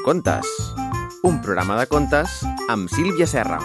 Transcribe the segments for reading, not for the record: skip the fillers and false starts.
Microcontes, un programa de contes amb Sílvia Serra.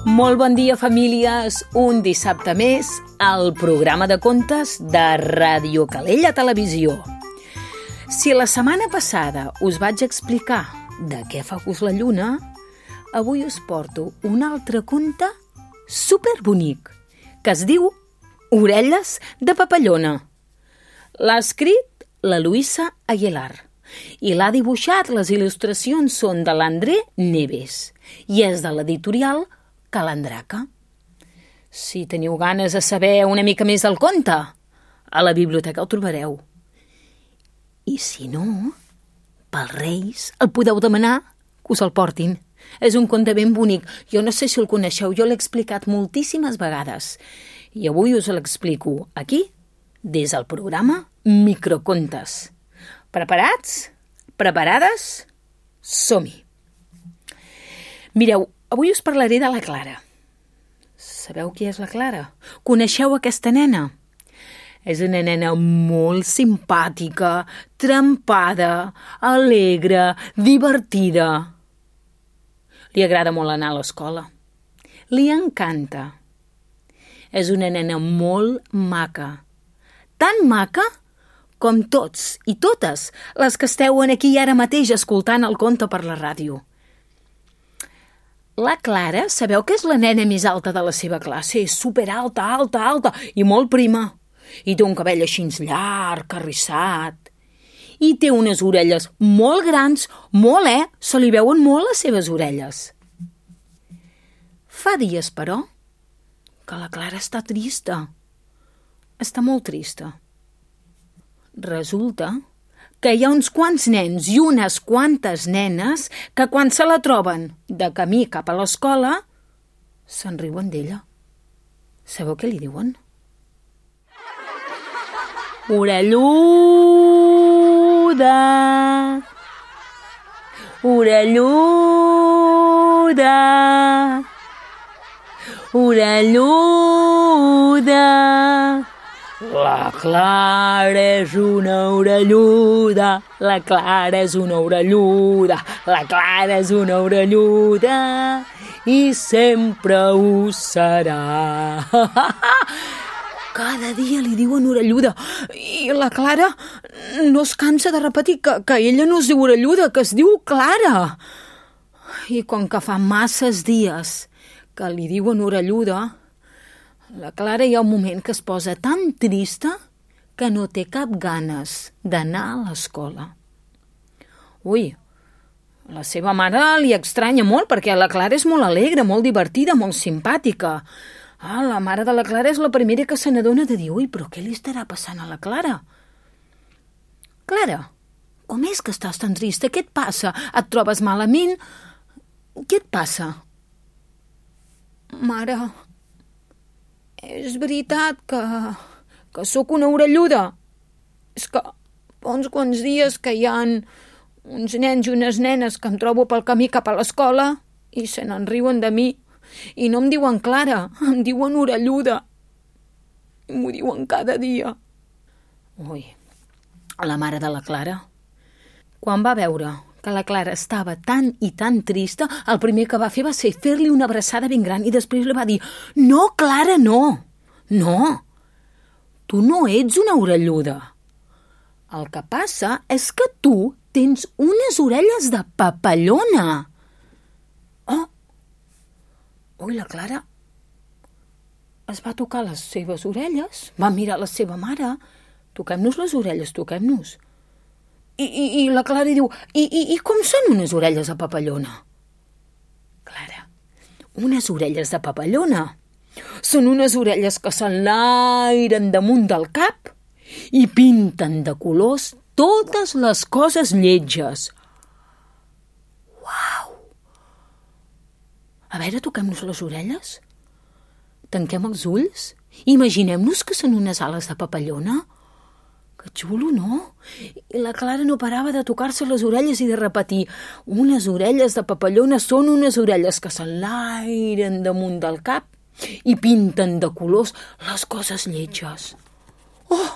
Molt bon dia, famílies. Un dissabte més al programa de contes de Ràdio Calella Televisió. Si la setmana passada us vaig explicar de què fa gust la lluna, avui us porto un altre conte superbonic que es diu Orelles de papallona. L'ha escrit la Luisa Aguilar i l'ha dibuixat. Les il·lustracions són de l'André Neves i és de l'editorial Calandraca. Si teniu ganes de saber una mica més del conte, a la biblioteca el trobareu. I si no, pels Reis el podeu demanar que us el portin. És un conte ben bonic. Jo no sé si el coneixeu, jo l'he explicat moltíssimes vegades. I avui us l'explico aquí, des del programa Microcontes. Preparats? Preparades? Som-hi! Mireu, avui us parlaré de la Clara. Sabeu qui és la Clara? Coneixeu aquesta nena? És una nena molt simpàtica, trempada, alegre, divertida. Li agrada molt anar a l'escola. Li encanta. És una nena molt maca. Tan maca com tots i totes les que esteu aquí ara mateix escoltant el conte per la ràdio. La Clara, sabeu que és la nena més alta de la seva classe? És superalta, alta i molt prima. I té un cabell així llarg, arrissat. I té unes orelles molt grans, se li veuen molt les seves orelles. Fa dies, però, que la Clara està trista. Està molt trista. Resulta que hi ha uns quants nens i unes quantes nenes que quan se la troben de camí cap a l'escola se'n riuen d'ella. Sabeu què li diuen? Orelluda! Orelluda! Orelluda! La Clara és una orelluda, la Clara és una orelluda, la Clara és una orelluda i sempre ho serà. Cada dia li diuen orelluda i la Clara no es cansa de repetir que ella no es diu orelluda, que es diu Clara. I com que fa masses dies que li diuen orelluda, la Clara hi ha un moment que es posa tan trista que no té cap ganes d'anar a l'escola. Ui, la seva mare li estranya molt perquè la Clara és molt alegre, molt divertida, molt simpàtica. La mare de la Clara és la primera que se n'adona de dir «Ui, però què li estarà passant a la Clara?» Clara, com és que estàs tan trista? Què et passa? Et trobes malament? Què et passa? Mare, és veritat que sóc una orelluda. És que fa uns quants dies que hi ha uns nens i unes nenes que em trobo pel camí cap a l'escola i se n'en riuen de mi. I no em diuen Clara, em diuen orelluda. I m'ho diuen cada dia. Ui, la mare de la Clara, quan va veure que la Clara estava tan i tan trista, el primer que va fer va ser fer-li una abraçada ben gran i després li va dir «No, Clara, no! No! Tu no ets una orelluda. El que passa és que tu tens unes orelles de papallona!» Oh! Ui, la Clara es va tocar les seves orelles, va mirar la seva mare. «Toquem-nos les orelles, toquem-nos!» I la Clara diu I com són unes orelles de papallona? Clara, unes orelles de papallona són unes orelles que s'enlairen damunt del cap i pinten de colors totes les coses lletges. Uau! A veure, toquem-nos les orelles. Tanquem els ulls. Imaginem-nos que són unes ales de papallona. Que xulo, no? I la Clara no parava de tocar-se les orelles i de repetir «Unes orelles de papallona són unes orelles que s'enlairen damunt del cap i pinten de colors les coses lletges». Oh!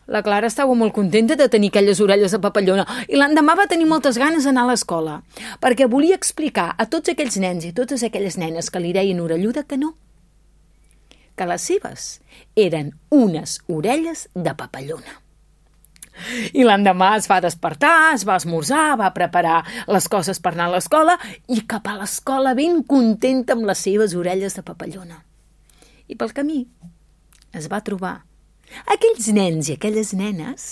La Clara estava molt contenta de tenir aquelles orelles de papallona i l'endemà va tenir moltes ganes d'anar a l'escola perquè volia explicar a tots aquells nens i totes aquelles nenes que li deien orelluda que no, que les seves eren unes orelles de papallona. I l'endemà es va despertar, es va esmorzar, va preparar les coses per anar a l'escola i cap a l'escola ben contenta amb les seves orelles de papallona. I pel camí es va trobar aquells nens i aquelles nenes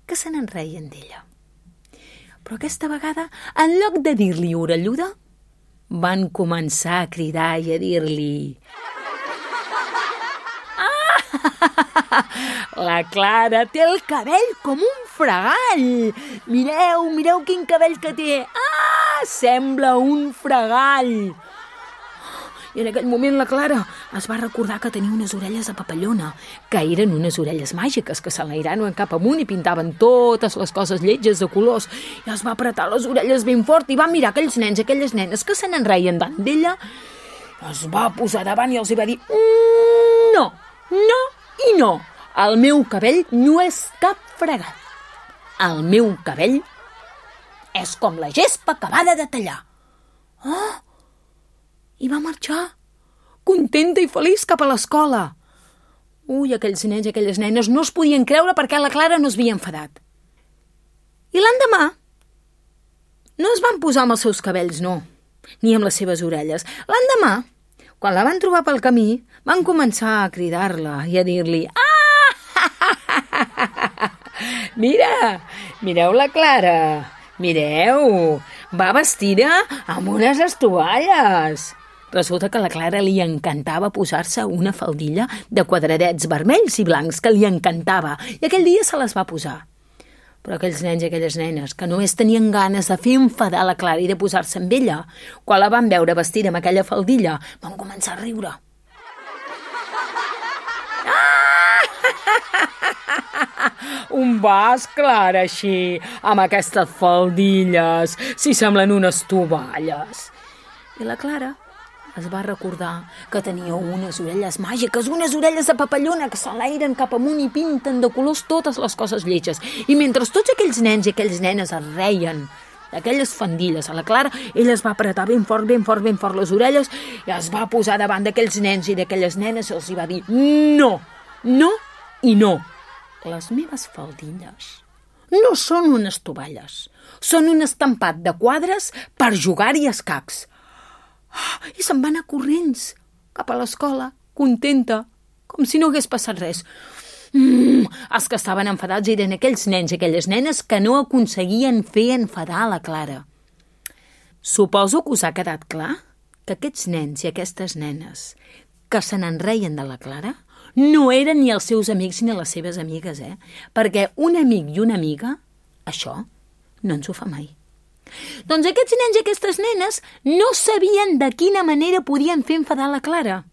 que se n'enreien d'ella. Però aquesta vegada, en lloc de dir-li orelluda, van començar a cridar i a dir-li: la Clara té el cabell com un fregall. Mireu, mireu quin cabell que té. Sembla un fregall. I en aquell moment la Clara es va recordar que tenia unes orelles de papallona, que eren unes orelles màgiques, que s'enlairaven cap amunt i pintaven totes les coses lletges de colors. I es va apretar les orelles ben fort i va mirar aquells nens i aquelles nenes que se n'enreien tant d'ella. Es va posar davant i els va dir: no, no i no. El meu cabell no és cap fregat. El meu cabell és com la gespa acabada de tallar. I va marxar, contenta i feliç cap a l'escola. Aquells nens i aquelles nenes no es podien creure perquè la Clara no es havia enfadat. I l'endemà no es van posar amb els seus cabells, no, ni amb les seves orelles. L'endemà, quan la van trobar pel camí, van començar a cridar-la i a dir-li: mira, mireu la Clara, mireu, va vestida amb unes estovalles. Resulta que a la Clara li encantava posar-se una faldilla de quadradets vermells i blancs, que li encantava, i aquell dia se les va posar. Però aquells nens i aquelles nenes que només tenien ganes de fer enfadar la Clara i de posar-se amb ella, quan la van veure vestida amb aquella faldilla, van començar a riure. On vas, Clara, així, amb aquestes faldilles, si semblen unes tovalles? I la Clara es va recordar que tenia unes orelles màgiques, unes orelles de papallona que s'enlairen cap amunt i pinten de colors totes les coses lletges. I mentre tots aquells nens i aquelles nenes es reien d'aquelles faldilles a la Clara, ella es va apretar ben fort les orelles i es va posar davant d'aquells nens i d'aquelles nenes i els va dir: no, no i no. Les meves faldilles no són unes tovalles, són un estampat de quadres per jugar-hi a escacs. I se'n va anar corrents cap a l'escola, contenta, com si no hagués passat res. Els que estaven enfadats eren aquells nens i aquelles nenes que no aconseguien fer enfadar la Clara. Suposo que us ha quedat clar que aquests nens i aquestes nenes que se n'enreien de la Clara no eren ni els seus amics ni les seves amigues, perquè un amic i una amiga, això no ens ho fa mai. Doncs aquests nens i aquestes nenes no sabien de quina manera podien fer enfadar la Clara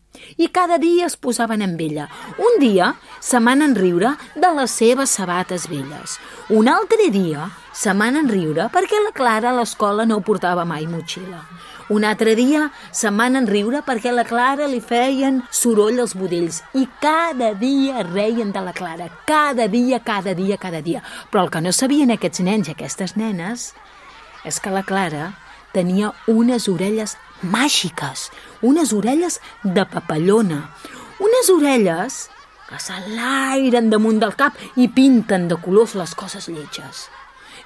i cada dia es posaven amb ella. Un dia se van enriure de les seves sabates velles. Un altre dia se van enriure perquè la Clara a l'escola no portava mai motxilla. Un altre dia se van enriure perquè a la Clara li feien soroll els budells i cada dia reien de la Clara, cada dia. Però el que no sabien aquests nens i aquestes nenes és que la Clara tenia unes orelles màgiques, unes orelles de papallona, unes orelles que s'enlairen damunt del cap i pinten de colors les coses lletges.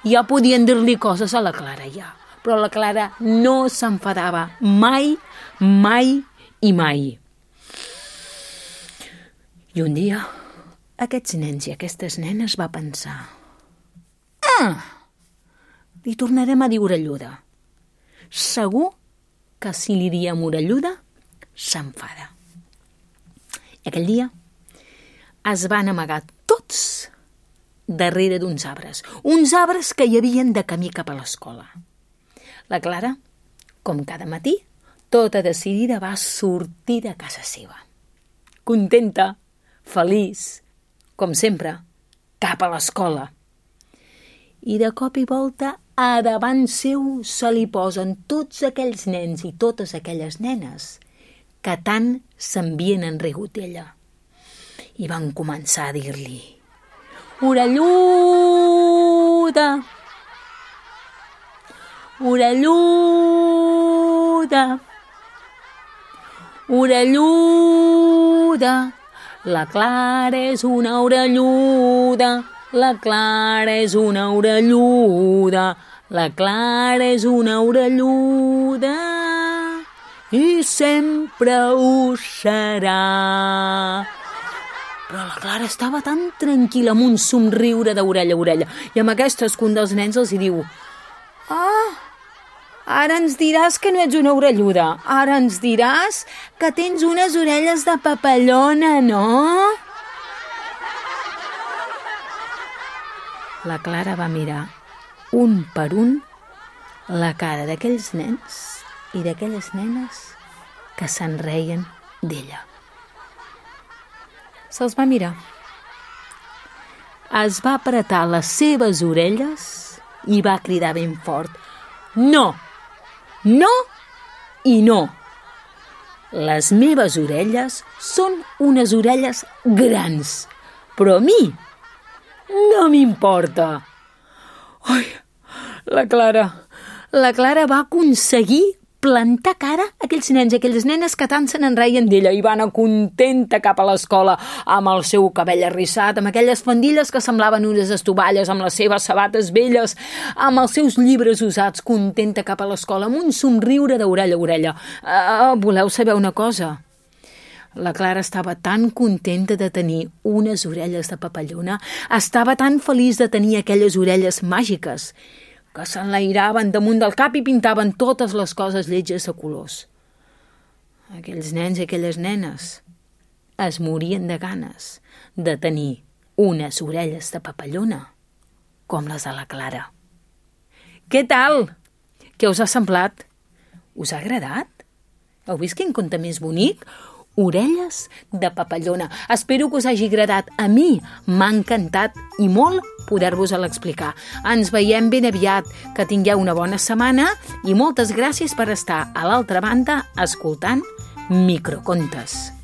Ja podien dir-li coses a la Clara, ja, però la Clara no s'enfadava mai. I un dia, aquests nens i aquestes nenes va pensar: li tornarem a dir orelluda. Segur que si li diem orelluda, s'enfada. I aquell dia es van amagar tots darrere d'uns arbres que hi havien de camí cap a l'escola. La Clara, com cada matí, tota decidida va sortir de casa seva. Contenta, feliç, com sempre, cap a l'escola. I de cop i volta, a davant seu se li posen tots aquells nens i totes aquelles nenes que tant s'havien enrigut d'ella. I van començar a dir-li: orelluda, orelluda, orelluda. La Clara és una orelluda, la Clara és una orelluda, la Clara és una orelluda i sempre ho serà. Però la Clara estava tan tranquil·la, amb un somriure d'orella a orella, i amb aquesta un dels nens els hi diu: ara ens diràs que no ets una orelluda, ara ens diràs que tens unes orelles de papallona, no? La Clara va mirar un per un la cara d'aquells nens i d'aquelles nenes que se'n reien d'ella. Se'ls va mirar. Es va apretar les seves orelles i va cridar ben fort: no! No i no. Les meves orelles són unes orelles grans, però a mi no m'importa. Ai, la Clara va aconseguir plantar cara a aquells nens i aquelles nenes que tant se n'enreien d'ella, i va anar contenta cap a l'escola amb el seu cabell arrissat, amb aquelles faldilles que semblaven unes estovalles, amb les seves sabates velles, amb els seus llibres usats, contenta cap a l'escola, amb un somriure d'orella a orella. Voleu saber una cosa? La Clara estava tan contenta de tenir unes orelles de papallona, estava tan feliç de tenir aquelles orelles màgiques, que s'enlairaven damunt del cap i pintaven totes les coses lletges de colors. Aquells nens i aquelles nenes es morien de ganes de tenir unes orelles de papallona com les de la Clara. Què tal? Què us ha semblat? Us ha agradat? Heu vist quin conte més bonic? Orelles de papallona. Espero que us hagi agradat. A mi m'ha encantat i molt poder-vos-la explicar. Ens veiem ben aviat. Que tingueu una bona setmana i moltes gràcies per estar a l'altra banda escoltant Microcontes.